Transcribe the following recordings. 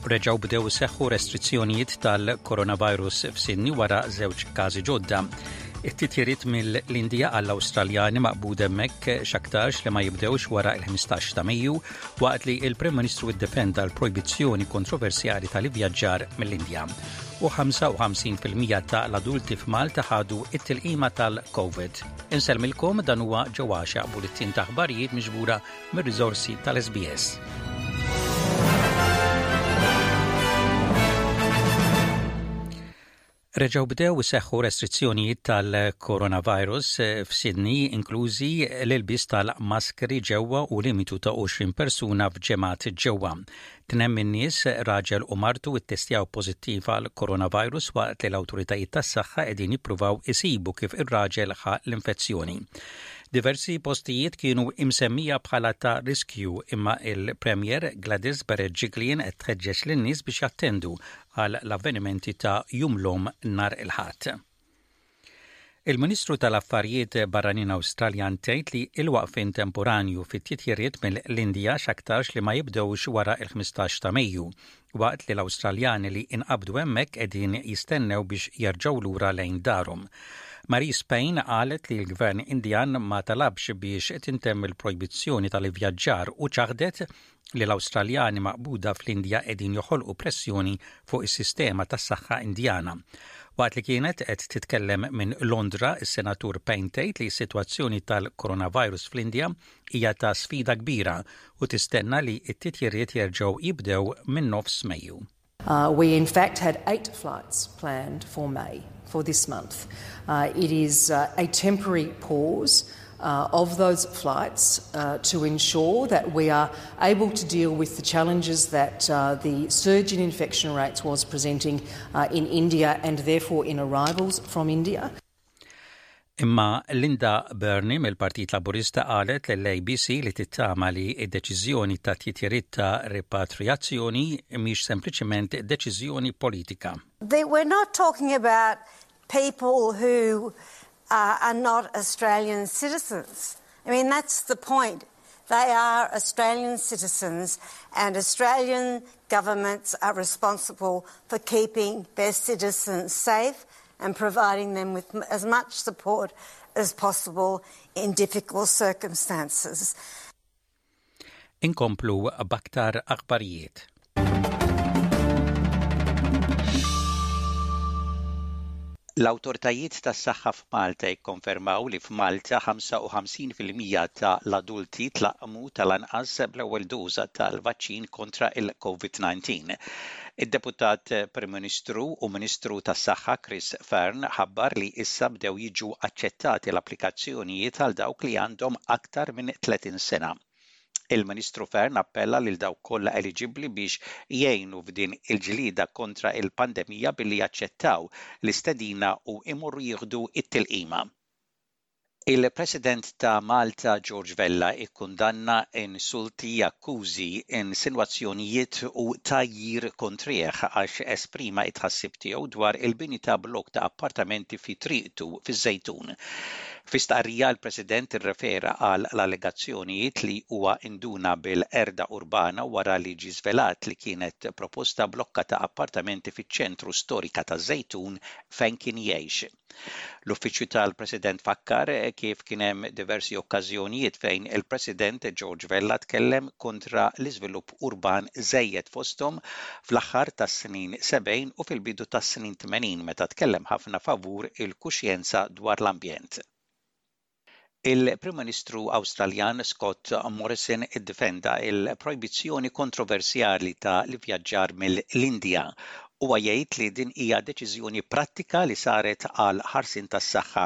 Reġgħu bdew iseħħu restrizzjonijiet tal-coronavirus f'Sydney wara żewġ każi ġodda. It-titjiriet mill-Indija għall-Awstraljani maqbud hemmhekk x'aktarx li ma jibdewx wara l-15 ta' Mejju waqt li l-Prim Ministru ddefenda l-projbizzjoni kontroversjali tal-ivvjaġġar mill-Indja. U 55% ta' l-adulti f'Malta ħadu it-tilqima tal-COVID. Insellmilkom dan huwa ġewwaxa bulettin ta' aħbarijiet miġbura mir-riżorsi tal-SBS. Reġgħu bdew iseħħu restrizzjonijiet tal-coronavirus f'Sydney, inklużi l-ilbies tal-maskri ġewwa u limitu ta' 20 persuna f'ġemgħat ġewwa. Tnem min-nies, raġel u martu ittestjaw pożittiv għal coronavirus waqt li l-awtoritajiet tas-saħħa qegħdin jippruvaw isibu kif ir-raġel ħa l-infezzjoni. Diversi postijiet kienu imsemmija bħala ta' riskju imma il-Premier Gladys Berejiklian qed tħeġġeġ lin-nies biex jattendu għal l-avvenimenti ta' Jum l-Omm nhar il-Ħadd. Il-Ministru tal-Affarijiet Barranin Awstraljan tgħid li l-waqfien temporanju fit-titjiriet mill-Indja x'aktarx li ma jibdewx wara l-15 ta' Mejju, waqt li l-Awstraljani li inqabdu hemmhekk qegħdin jistennew biex jerġgħu lura lejn darhom. Marise Payne qalet li l-Gvern Indjan ma talabx biex tintemm il-projbizzjoni tal-ivvjaġġar u ċaħdet li l-Awstraljani maqbuda fl-Indja qegħdin joħolqu pressjoni fuq is-sistema tas-saħħa Indjana. Waqt li kienet qed titkellem minn Londra, is-Senatur Payne tgħid li s-sitwazzjoni tal-coronavirus fl-Indja hija ta' sfida kbira u tistenna li t-titjiriet jerġgħu jibdew minn nofs Mejju. Uh, we in fact had eight flights planned for May, for this month. Uh, it is uh, a temporary pause uh, of those flights uh, to ensure that we are able to deal with the challenges that uh, the surge in infection rates was presenting uh, in India and therefore in arrivals from India. Imma Linda Burney mill-Partit Laburista qalet lill-ABC li tittama li d-deċiżjoni ta' titjiriet ta' ripatrijazzjoni mhix sempliċement deċiżjoni politika. We're not talking about people who uh, are not Australian citizens. I mean, that's the point. They are Australian citizens and Australian governments are responsible for keeping their citizens safe and providing them with as much support as possible in difficult circumstances. Inkomplu b'aktar aħbarijiet. L-awtoritajiet tas-saħħa f'Malta jikkonfermaw li f'Malta 55% ta' l-adulti tlaqqmu tal-anqas bl-ewwel doża tal-vaċċin kontra il-COVID-19. Id-Deputat Prim Ministru u Ministru tas-Saħħa Chris Fearne ħabbar li issa bdew jiġu aċċettati l-applikazzjonijiet għal dawk li għandhom aktar minn 30 sena. Il-Ministru Fearne appella lil dawk kollha eliġibbli biex jgħinu f'din il-ġlieda kontra il-pandemija billi jaċċettaw l-istedina u imorru jieħdu it-tilqima. Il-President ta' Malta George Vella ikkundanna insulti, akkużi, insinwazzjonijiet u tgħajjir kontrih għax esprima t-tħassib tiegħu dwar il-bini ta' blokk ta' appartamenti fi triqtu fiż-Żejtun. Fi stqarrija l-President irrefera għal l-allegazzjonijiet li huwa induna bil-qerda urbana wara li ġie żvelat li kienet proposta blokka ta' appartamenti fiċ-ċentru storika taż-Żejtun fejn kien jgħix. L-Uffiċċju tal-President fakkar kif kien hemm diversi okkażjonijiet fejn il-President George Vella tkellem kontra l-iżvilupp urban żejjed fosthom fl-aħħar tas-snin 70 u fil-bidu tas-snin 80 meta tkellem ħafna favur il-kuxjenza dwar l-ambjent. Il-Prim Ministru Awstraljan Scott Morrison iddefenda il-projbizzjoni kontroversjali ta' l-ivvjaġġar mill-Indja. Huwa jgħid li din hija deċiżjoni prattika li saret għal ħarsien tas-saħħa.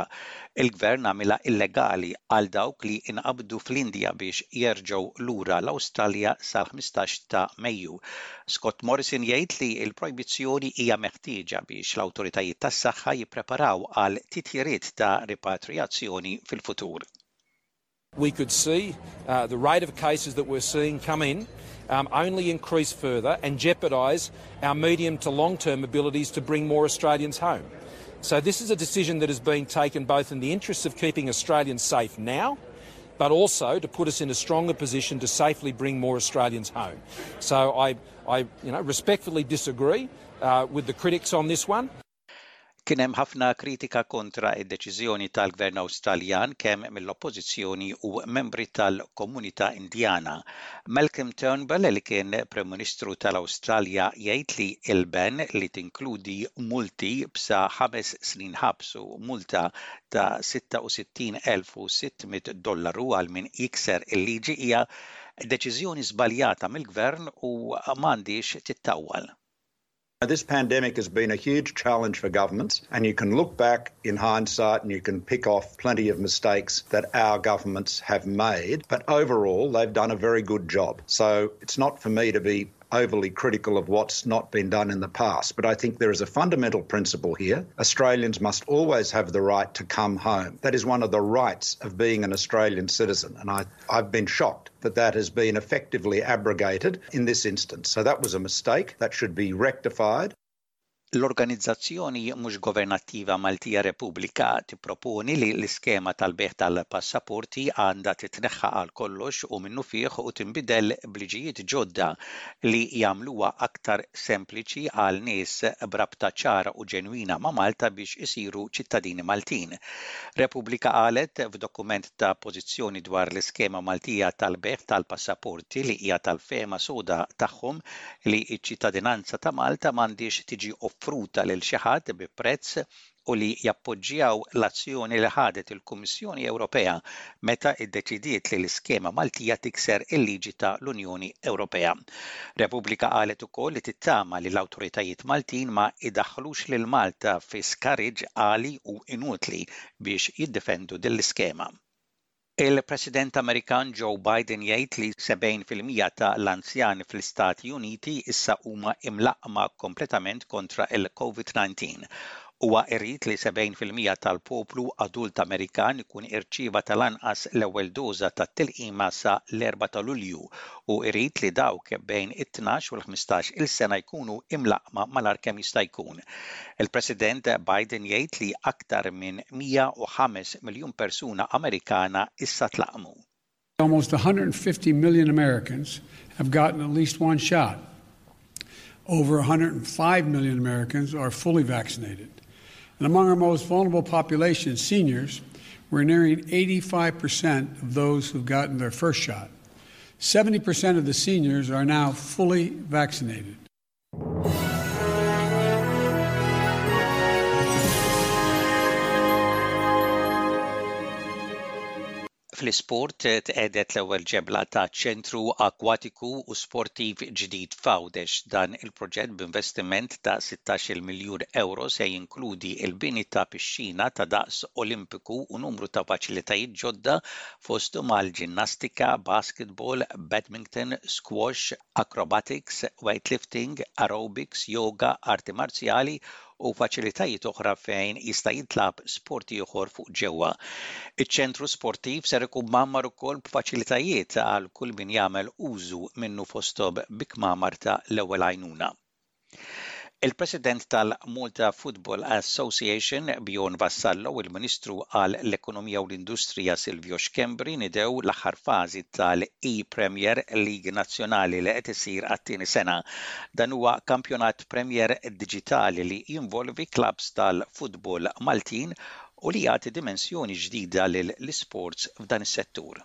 Il-gvern għamilha illegali għal dawk li inqabdu fl-Indja biex jerġgħu lura l-Awstralja sal-15 ta' Mejju. Scott Morrison jgħid li l-projbizzjoni hija meħtieġa biex l-awtoritajiet tas-saħħa jippreparaw għal titjiriet ta' ripatrijazzjoni fil-futur. We could see uh, the rate of cases that we're seeing come in um, only increase further and jeopardise our medium to long term abilities to bring more Australians home. So, this is a decision that has been taken both in the interests of keeping Australians safe now. but also to put us in a stronger position to safely bring more Australians home. So I, I you know, respectfully disagree uh, with the critics on this one. Kien hemm ħafna kritika kontra d-deċiżjoni tal-Gvern Awstraljan kemm mill-Oppożizzjoni u membri tal-komunità Indjana. Malcolm Turnbull li kien Prim Ministru tal-Awstralja jgħid li l-ban li tinkludi multi b'sa ħames snin ħabs u multa ta' 66,600 dollaru għal min jikser il-liġi hija deċiżjoni żbaljata mill-Gvern u m'għandhiex tittawwal. This pandemic has been a huge challenge for governments, and you can look back in hindsight and you can pick off plenty of mistakes that our governments have made, but overall, they've done a very good job. So it's not for me to be overly critical of what's not been done in the past, but I think there is a fundamental principle here. Australians must always have the right to come home. That is one of the rights of being an Australian citizen, and I, I've been shocked that that has been effectively abrogated in this instance. So that was a mistake. That should be rectified. L-organizzazzjoni mhux governattiva Maltija Repubblika tipproponi li l-iskema tal-bejgħ tal-passaporti għandha titneħħa għal kollox u minnufih u tinbidel b'liġijiet ġodda li jagħmluha aktar sempliċi għal nies b'rabta ċara u ġenwina ma' Malta biex isiru ċittadini Maltin. Repubblika qalet f'dokument ta' pożizzjoni dwar l-iskema Maltija tal-bejgħ tal-passaporti li hija tal-fehma soda tagħhom li ċ-ċittadinanza ta' Malta m'għandhiex tiġi offruta lil xi ħadd bi prezz u li jappoġġjaw l-azzjoni li ħadet il-Kummissjoni Ewropea meta ddeċidiet li l-iskema Maltija tikser il-liġi ta' l-Unjoni Ewropea. Repubblika qalet ukoll li tittama li l-awtoritajiet Maltin ma jdaħħlux lil Malta fi skariġġ għali u inutli biex jiddefendu din l-iskema. Il-President Amerikan Joe Biden jgħid li 70% ta' l-anzjani fl-Istati Uniti issa huma imlaqqma kompletament kontra il-COVID-19. Huwa irid li 70% tal-poplu adult Amerikan ikun irċieva tal-anqas l-ewwel doża tat-tilqima sa l-4 ta' Lulju u irid li dawk bejn it-tnax u l-15 il sena jkunu imlaqqma malajr kemm jista' jkun. Il-President Biden jgħid li aktar minn 105 miljun persuna Amerikana issa tlaqqmu. Almost 150 million Americans have gotten at least one shot. Over 105 million Americans are fully vaccinated. And among our most vulnerable population, seniors, we're nearing 85% of those who've gotten their first shot. 70% of the seniors are now fully vaccinated. Fl-isport tqiegħdet l-ewwel ġebla ta' ċentru akwatiku u sportiv ġdid f'Għawdex. Dan il-proġett b'investiment ta' 16-il miljun ewro se jinkludi l-bini ta' pixxina ta' daqs Olimpiku u numru ta' faċilitajiet ġodda fosthom għall-ġinnastika, basketball, badminton, squash, acrobatics, weightlifting, aerobics, yoga, arti marzjali u faċilitajiet oħra fejn jista' jintlagħab sport ieħor fuq ġewwa. Iċ-ċentru sportiv ser ikun mgħammar ukoll b'faċilitajiet għal kull min jagħmel użu minnu fosthom bi kmamar ta' l-ewwel għajnuna. Il-President tal-Malta Football Association, Bjorn Vassallo u l-Ministru għal l-Ekonomija u l-Industrija Silvio Schembri nidew l-aħħar fażi tal-e-Premier League Nazzjonali li qed isir għat-tieni sena. Dan huwa kampjonat Premier diġitali li jinvolvi klabbs tal-futbol Maltin u li jagħti dimensjoni ġdida lill-isports f'dan is-settur.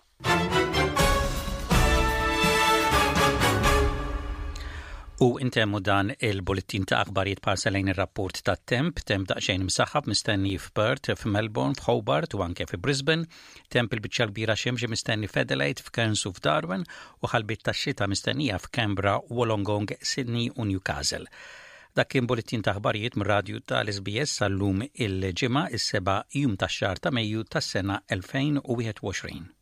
U intemmu dan il-bullettin ta' aħbarijiet b'ħarsa lejn ir-rapport tat-temp, temp daqsxejn imsaħħab mistenni f'Perth, f'Melbourne, f'Hobart u anke fi Brisbane, temp il-biċċa kbira xemxi mistenni f'Adelaide, f'Cairns u f'Darwin u ħalbiet tax-xita mistennija f'Canberra, Wollongong, Sydney u Newcastle. Dak kien bullettin ta' aħbarijiet mir-radju tal-SBS sal-lum il-Ġimgħa is-seba' jum tax-xahar ta' Mejju tas-sena 2021.